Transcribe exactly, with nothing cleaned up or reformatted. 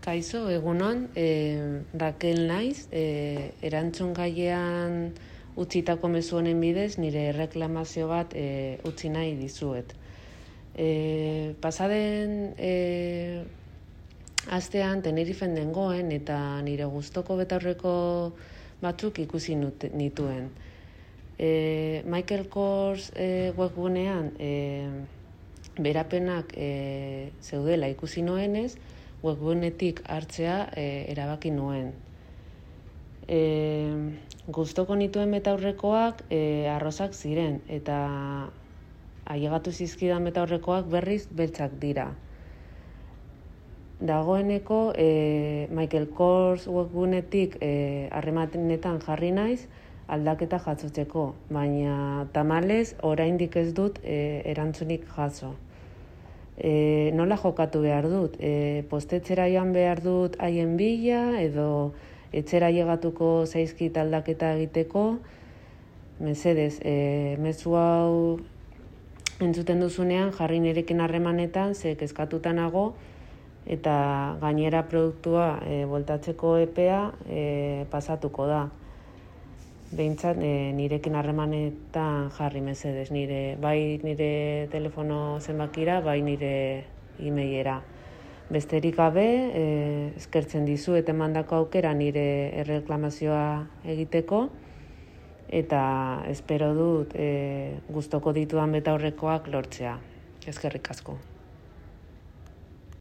Kaixo, egunon, e, Rakel naiz, e, erantzun gaiean utzitako mezu honen bidez, nire erreklamazio bat e, utzi nahi dizuet. E, pasaden e, astean Tenerifen dengoen eta nire gustoko betaurreko batzuk ikusi nut, nituen. E, Michael Kors e, webgunean e, berapenak e, zeudela ikusi nuenez, webgunetik hartzea e, erabaki nuen. E, gustoko nituen betaurrekoak e, arrozak ziren, eta ailegatu zizkidan betaurrekoak berriz beltzak dira. Dagoeneko e, Michael Kors webgunetik e, harremanetan jarri naiz aldaketa jasotzeko, baina tamalez oraindik ez dut e, erantzunik jaso. E, nola jokatu behar dut? E, postetxera joan behar dut haien bila, edo etxera llegatuko zaizkit aldaketa egiteko? Mesedez, e, mezu hau entzuten duzunean jarri nirekin harremanetan, ze kezkatuta nago, eta gainera produktua e, bueltatzeko epea e, pasatuko da. Behintzat e, nirekin harremanetan jarri mesedez, nire, bai nire telefono zenbakira, bai nire e-mailera. Besterik gabe, e, eskertzen dizu eta emandako aukera nire erreklamazioa egiteko, eta espero dut e, gustoko ditudan betaurrekoak lortzea. Eskerrik asko.